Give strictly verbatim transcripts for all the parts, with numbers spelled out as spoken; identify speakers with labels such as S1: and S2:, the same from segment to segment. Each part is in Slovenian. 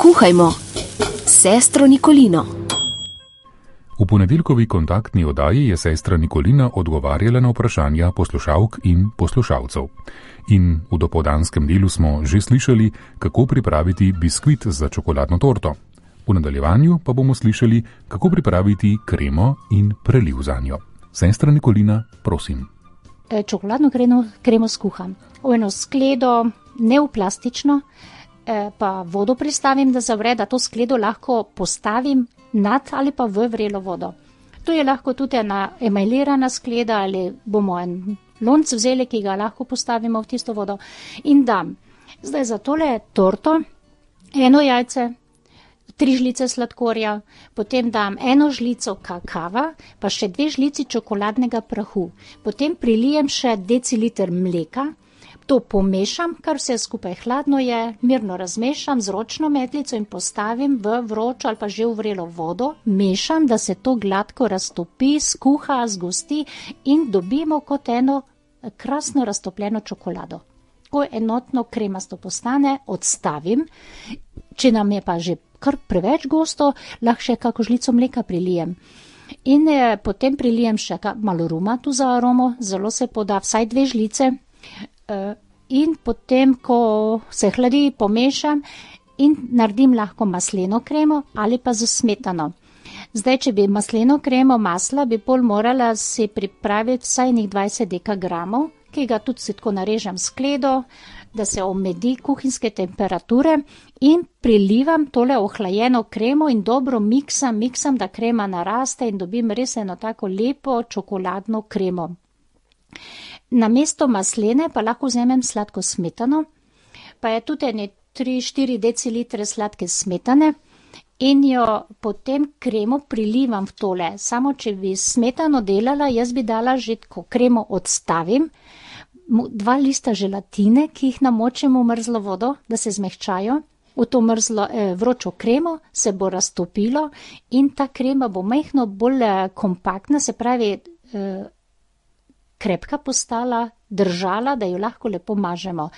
S1: Skuhajmo s sestro Nikolino.
S2: V ponedeljkovi kontaktni oddaji je sestra Nikolina odgovarjala na vprašanja poslušalk in poslušalcev. In v dopoldanskem delu smo že slišali, kako pripraviti biskvit za čokoladno torto. V nadaljevanju pa bomo slišali, kako pripraviti kremo in preliv zanjo. Sestra Nikolina, prosim.
S3: Čokoladno kremo, kremo skuham. V eno skledo, ne v plastično, pa vodo pristavim, da zavre, da to skledo lahko postavim nad ali pa v vrelo vodo. To je lahko tudi ena emajlirana skleda ali bomo en lonc vzeli, ki ga lahko postavimo v tisto vodo in dam. Zdaj za tole torto eno jajce, tri žlice sladkorja, potem dam eno žlico kakava, pa še dve žlici čokoladnega prahu. Potem prilijem še deciliter mleka. To pomešam, kar vse skupaj hladno je, mirno razmešam z ročno metlico in postavim v vročo ali pa že v vrelo vodo, mešam, da se to gladko raztopi, skuha, zgosti in dobimo kot eno krasno raztopljeno čokolado. Ko enotno kremasto postane, odstavim. Če nam je pa že kar preveč gosto, lahko še kako žlico mleka prilijem. In eh, potem prilijem še malo ruma tu za aromo, zelo se poda vsaj dve žlice. In potem, ko se hladi, pomešam in naredim lahko masleno kremo ali pa z smetano. Zdaj, če bi masleno kremo masla, bi pol morala si pripraviti vsaj nek dvajset dekagramov, ki ga tudi si tako narežem skledo, da se omedi kuhinjske temperature in prilivam tole ohlajeno kremo in dobro miksam, miksam, da krema naraste in dobim res eno tako lepo čokoladno kremo. Namesto maslene pa lahko vzamem sladko smetano, pa je tudi ene tri štiri decilitre sladke smetane in jo potem kremo prilivam v tole. Samo če bi smetano delala, jaz bi dala že, ko kremo odstavim, dva lista želatine, ki jih namočim v mrzlo vodo, da se zmehčajo. V to mrzlo eh, vročo kremo se bo raztopilo in ta krema bo majhno bolj eh, kompaktna, se pravi eh, krepka postala, držala, da jo lahko lepo mažemo.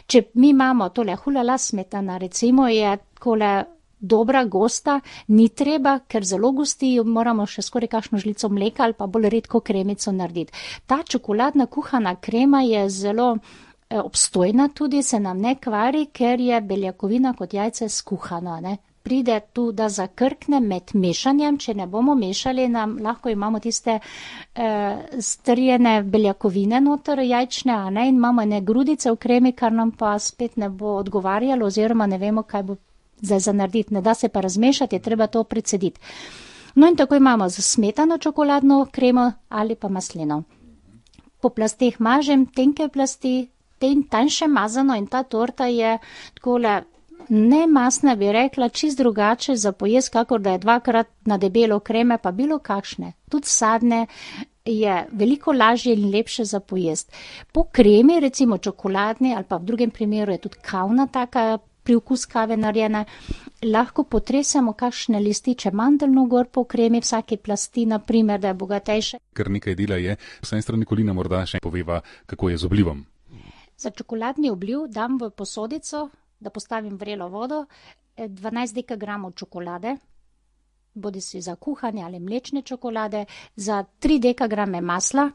S3: Če mi imamo tole hulala smetana, recimo je takole dobra gosta, ni treba, ker zelo gosti, moramo še skoraj kakšno žlico mleka ali pa bolj redko kremico narediti. Ta čokoladna kuhana krema je zelo eh, obstojna tudi, se nam ne kvari, ker je beljakovina kot jajce skuhana, ne. Pride tu, da zakrkne med mešanjem, če ne bomo mešali, nam lahko imamo tiste eh, strjene beljakovine noter, jajčne, a ne, in imamo ene grudice v kremi, kar nam pa spet ne bo odgovarjalo, oziroma ne vemo, kaj bo zdaj za narediti. Ne da se pa razmešati, je treba to precediti. No in tako imamo z smetano čokoladno kremo ali pa masleno. Po plasteh mažem tenke plasti, ten tanjše mazano in ta torta je takole ne masna, bi rekla, čist drugače za pojest, kakor da je dvakrat na debelo kreme, pa bilo kakšne. Tudi sadne je veliko lažje in lepše za pojest. Po kremi, recimo čokoladni ali pa v drugem primeru je tudi kavna taka priokus kave narejena, lahko potresemo kakšne lističe mandeljno gor po kremi, vsake plasti, na primer, da je bogatejše.
S2: Ker nekaj dela je, sestra Nikolina morda še poveva, kako je z oblivom.
S3: Za čokoladni obliv dam v posodico, da postavim vrelo vodo, dvanajst dekagramov čokolade, bodi si za kuhanje ali mlečne čokolade, za tri dekagrame masla,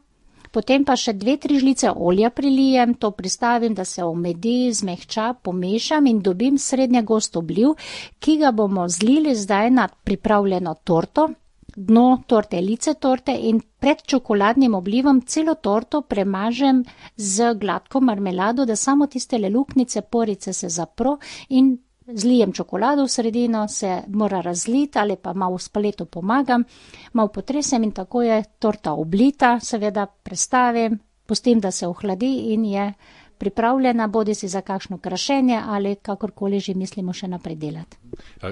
S3: potem pa še dve, tri žlice olja prilijem, to pristavim, da se omedi, zmehča, pomešam in dobim srednje gost obliv, ki ga bomo zlili zdaj na pripravljeno torto, dno torte, lice torte in pred čokoladnim oblivom celo torto premažem z gladko marmelado, da samo tiste luknjice, porice se zapro in zlijem čokolado v sredino, se mora razliti ali pa malo s paleto pomagam, malo potresem in tako je torta oblita, seveda prestavim, pustim, da se ohladi in je pripravljena, bodi si za kakšno krašenje ali kakorkoli že mislimo še naprej delati.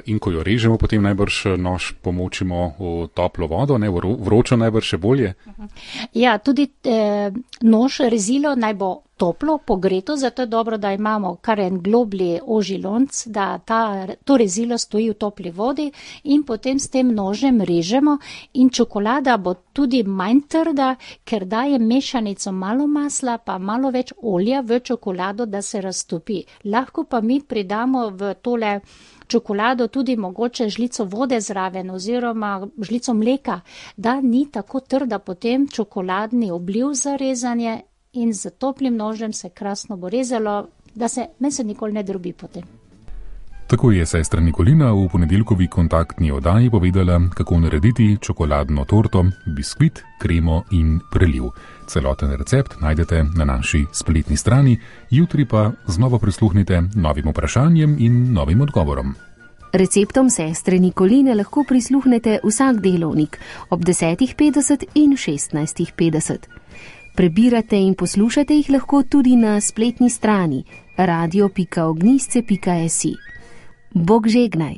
S2: In ko jo režemo, potem najbrž nož pomočimo v toplo vodo, ne, vročo najbrž še bolje?
S3: Ja, tudi eh, nož, rezilo naj bo toplo, pogreto, zato je dobro, da imamo kar en globlji ožji lonc, da ta, to rezilo stoji v topli vodi in potem s tem nožem režemo in čokolada bo tudi manj trda, ker daje mešanico malo masla pa malo več olja v čokolado, da se raztopi. Lahko pa mi pridamo v tole čokolado tudi mogoče žlico vode zraven oziroma žlico mleka, da ni tako trda potem čokoladni obliv za rezanje in z toplim nožem se krasno bo rezalo, da se meni se nikoli ne drobi potem.
S2: Tako je sestra Nikolina v ponedeljkovi kontaktni oddaji povedala, kako narediti čokoladno torto, biskvit, kremo in preliv. Celoten recept najdete na naši spletni strani, jutri pa znova prisluhnite novim vprašanjem in novim odgovorom.
S1: Receptom sestre Nikoline lahko prisluhnete vsak delovnik ob desetih petdeset in šestnajstih petdeset. Prebirate in poslušate jih lahko tudi na spletni strani radio pika ognjišče pika si. Bog žegnaj!